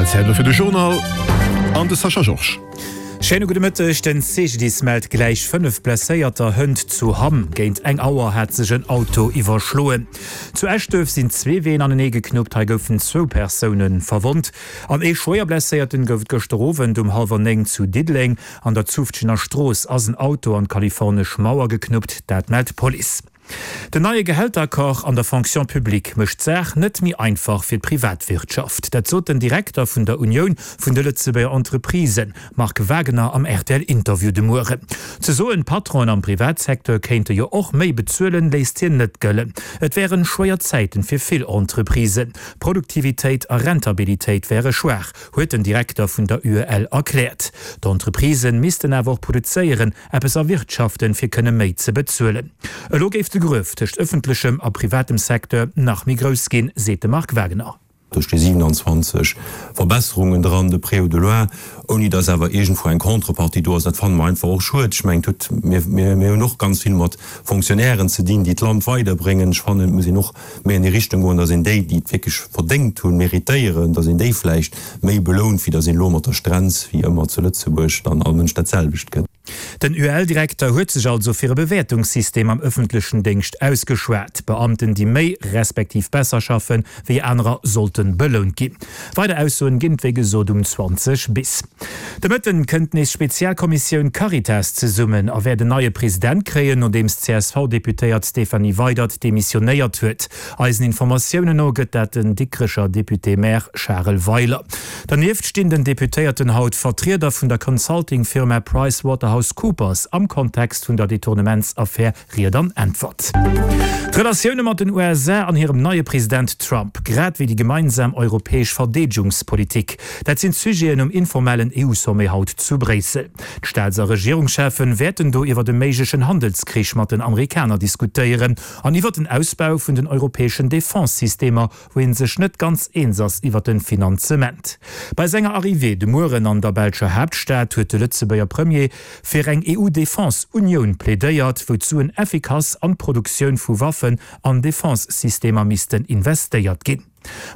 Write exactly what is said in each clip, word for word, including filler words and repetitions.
R T L Zäit elo fir de Journal an de Sascha Georges. Schéine gudde Mëtteg, Den C G D I S mellt gläich fënnef Blesséierter hënt zu Hamm. Géint eng Auer hat sech en Auto iwwerschloen. Zu Eschduerf sinn zwee Ween anenee geknuppt, hei goufen zwou Persoune verwonnt. An ee Schwéierblesséierten gouf et gëschter Owend um hallwer néng zu Diddeleng. An der Zufftgener Strooss ass en Auto an d'kalifornesch Mauer geknuppt, dat mellt d'Police. Den neie Gehälteraccord an der Fonction publique mécht d'Saach net méi einfach fir d'Privatwirtschaft. Dat sot den Direkter vun der Unioun vun de Lëtzebuerger Entreprisen, Marc Wagener am R T L-Interview de Mueren. Ze soen, d'Patronen am Privatsecteur kéinte jo och méi bezuelen, léisst hien net gëllen. Et wären schwéier Zäiten fir vill Entreprisen. Produktivitéit a Rentabilitéit wäre schwaach, huet den Direkter vun der U E L erkläert. D'Entreprisen missten awer och produzéieren, eppes erwirtschaften, fir kënne méi ze bezuelen. Elo géif de Gruef tëscht ëffentlechem a privatem Secteur nach méi grouss ginn, seet de Marc Wagener. Do sti siewenanzwanzeg Verbesserungen dran, de près ou de loin, ouni datt awer iergendwou eng Contrepartie do ass. Dat fanne mer einfach och schued. Ech mengen, et huet, mir, mir, mir hunn och ganz vill mat Fonctionnairen ze dinn, déi d'Land weiderbréngen. Ech fannen, et muss een och méi an déi Richtung goen, datt een déi, déi et wierklech verdéngt hunn, méritéieren, datt een déi vläicht méi belount, wéi datt een elo mat der Strenz, wéi ëmmer zu Lëtzebuerg, dann all Mënsch dat selwecht gëtt. Den U E L-Direkter huet sech also fir e Bewäertungssystem am ëffentlechen Déngscht ausgeschwat. Beamten, déi méi respektiv besser schaffen wéi anerer, sollten belount ginn. Weider Aussoen ginn et wéi gesot um zwanzeg bis. De Mëtten kënnt nees d'Spezialkommissioun Caritas zesummen a wäert en neie President kréien, nodeems d'C S V-Deputéiert Stéphanie Weydert demissionéiert huet. Eisen Informatiounen no gëtt dat den Dikrecher Député-Maire Charel Weiler. Dernieft stinn den Deputéierten haut Vertrieder vun der Consulting-Firma PricewaterhouseCoopers am Kontext vun der Detournementsaffär Ried an Äntwert. D'Relatioune mat den U S A an hirem neie President Trump, grad wéi déi gemeinsam europäesch Verdeedegungspolitik, dat sinn d'Sujeten um informellen E U-Sommet haut zu Bréissel. D'Staats a Regierungscheffen wäerten do iwwer de méiglechen Handelskrich mat den Amerikaner diskutéieren an iwwer den Ausbau vun den europäeschen Defense-Systemer, wou ee sech net ganz eens ass iwwer de Finanzement. Bei senger Arrivée de Mueren an der belscher Haaptstad huet de Lëtzebuerger Premier fir eng E U-Defense-Unioun plädéiert, wou d'Suen effikass an d'Produktioun vu Waffen an Defense-Systemer missten investéiert ginn.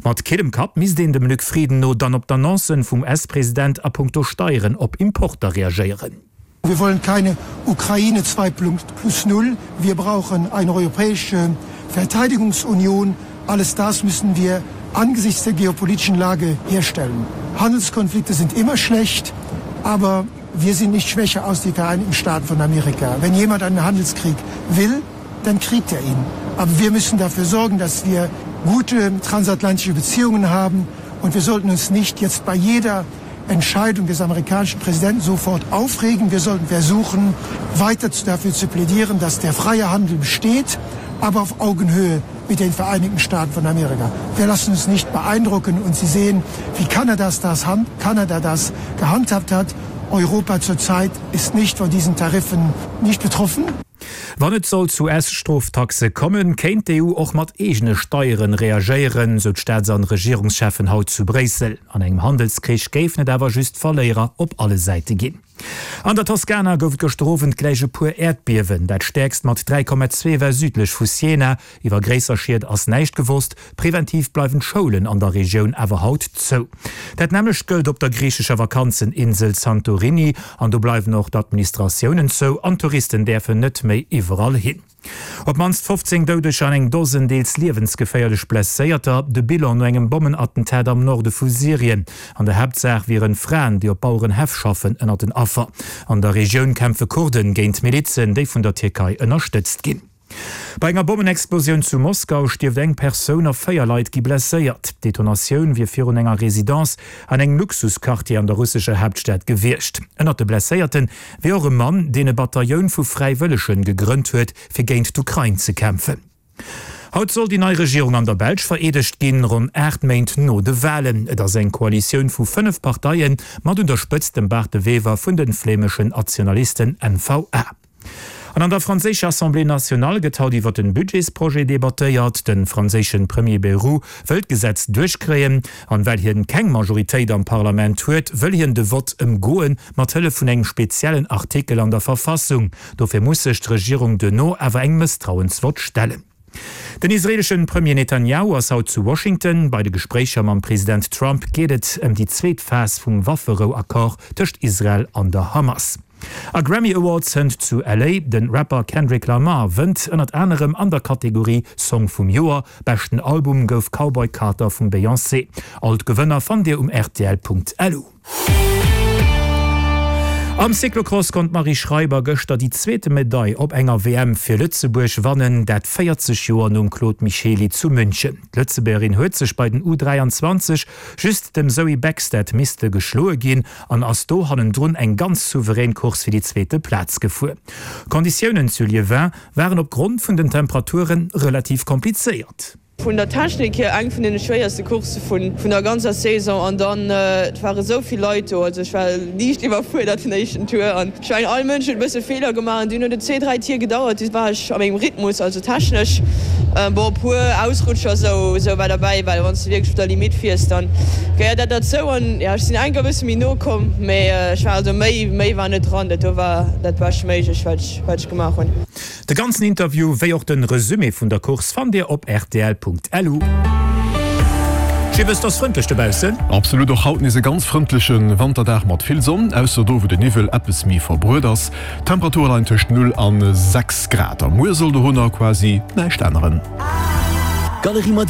Mat killem Kapp misst een dem Luc Frieden no dann op d'Annoncen vum U S-President a punkto Steieren op Importer reagéieren. Wir wollen keine Ukraine zwei plus null. Wir brauchen eine europäische Verteidigungsunion. Alles das müssen wir angesichts der geopolitischen Lage herstellen. Handelskonflikte sind immer schlecht, aber wir sind nicht schwächer als die Vereinigten Staaten von Amerika. Wenn jemand einen Handelskrieg will, dann kriegt er ihn. Aber wir müssen dafür sorgen, dass wir gute transatlantische Beziehungen haben und wir sollten uns nicht jetzt bei jeder Entscheidung des amerikanischen Präsidenten sofort aufregen. Wir sollten versuchen, weiter dafür zu plädieren, dass der freie Handel besteht, aber auf Augenhöhe mit den Vereinigten Staaten von Amerika. Wir lassen uns nicht beeindrucken und Sie sehen, wie Kanada das, Kanada das gehandhabt hat. Europa zurzeit ist nicht von diesen Tariffen nicht betroffen. Wann et sollt zu U S-Stroftaxe kommen, kéint d'E U och mat eegene Steieren reagéieren, sou d'Staats- an Regierungscheffen haut zu Bréissel. An engem Handelskrich géifen et awer just Verléierer op alle Säite ginn. An der Toskana gouf et gëschter Owend gläich e puer Äerdbiewen. Dat stäerkst mat dräi Komma zwee war südlech vu Siena. Iwwer gréisser Schied ass näischt gewosst. Preventiv bleiwen d'Schoulen an der Regioun awer haut zou. Dat nämmlecht gëllt op der griichescher Vakanzeninsel Santorini. An do bleiwen och d'Administratiounen zou an d'Touristen däerfen net méi iwwerall hin. Op d'mannst fofzéng Doudeger an eng Dosen deels liewensgeféierlech Blesséierter, de Bilan no engem Bommenattentat am Norde vu Syrien. An der Haaptsaach wieren Fraen, déi op Bauerenhäff schaffen, ënnert den Affer. An der Regioun kämpfe Kurden géint Milizen, déi vun der Tierkei ënnerstëtzt ginn. Bei enger Bommenexplosioun zu Moskau stierft eng Persoun a véier Leit gi blesséiert. D'Detonatioun wier virun enger Residence an engem Luxusquartier an der russescher Haaptstad gewiescht. Ënnert de Blesséierte wier och e Mann, deen e Batailloun vu Fräiwëllegen gegrënnt huet, fir géint d'Ukrain ze kämpfen. Haut soll déi nei Regierung an der Belsch vereedegt ginn, ronn aacht Méint no de Walen. Et ass eng Koalitioun vu fënnef Parteien, mat un der Spëtzt dem Bart De Wever vun de flämeschen Nationalisten N V A. An an der franséischer Assemblée nationale gëtt haut iwwer den Budgetsprojet debattéiert. De franséische Premier Bayrou wëll d'Gesetz duerchkréien. An well hien keng Majoritéit am Parlament huet, wëll hien de Vott ëmgoen, mat Hëllef vun engem speziellen Artikel an der Verfassung. Dofir muss sech d'Regierung duerno awer engem Mësstrauensvott stellen. Den israelesche Premier Netanjahu ass haut zu Washington. Bei de Gespréicher mam President Trump geet et ëm déi zweet Phas vum Wafferou-Accord tëscht Israel an der Hamas. A Grammy Awards hënt zu L A. Den Rapper Kendrick Lamar wënnt ënnert anerem an der Kategorie Song vum Joer. Beschten Album gouf Cowboy Carter vum Beyoncé. All d'Gewënner fannt Dir um rtl Punkt L U. Am Cyclocross konnt d'Marie Schreiber gëschter déi zweete Medail op enger W M fir Lëtzebuerg wannen, dat véierzeg Joer nom Claude Michely zu München. D'Lëtzebuergerin huet sech bei den U dräianzwanzeg just dem Zoe Bäckstedt misste geschloe ginn an ass do hannendrun eng ganz souverän Course fir déi zweete Plaz gefuer. D'Konditiounen zu Liévin waren opgrond vun den Temperature relativ komplizéiert. Vun der Technik hier eng vun deene schwéierste Coursse vun der ganzer Saison an dann et ware sou vill Leit do, also ech war liicht iwwerfuerdert den éischten Tour an ech mengen all Mënsch huet e bësse Feeler gemaach an dunn huet et zwee, dräi Tier gedauert, du war ech a mengem Rhythmus, also technesch bon e puer Ausrutscher sou sou war derbäi, well wann s de wierklech op der Limitt fiers, dann gehéiert dat derzou an jo ech sinn enker e bësse méi no komm, mee ech war also méi méi war net dran, dat do war dat bescht méiglech wat ech wat ech gemaach hunn. De ganzen Interview wéi och den Resumé vun der Course fannt dir op rtl Punkt L U. Jibbes, 't ass frëndlech dobaussen. Absolut, och haut nees e ganz frëndleche Wanterdag mat vill Sonn, ausser do wou de Niwwel eppes méi verbruet ass. D'Temperature leien tëscht null an sechs Grad a muer soll dorunner quasi näischt änneren. Galerie Moderne.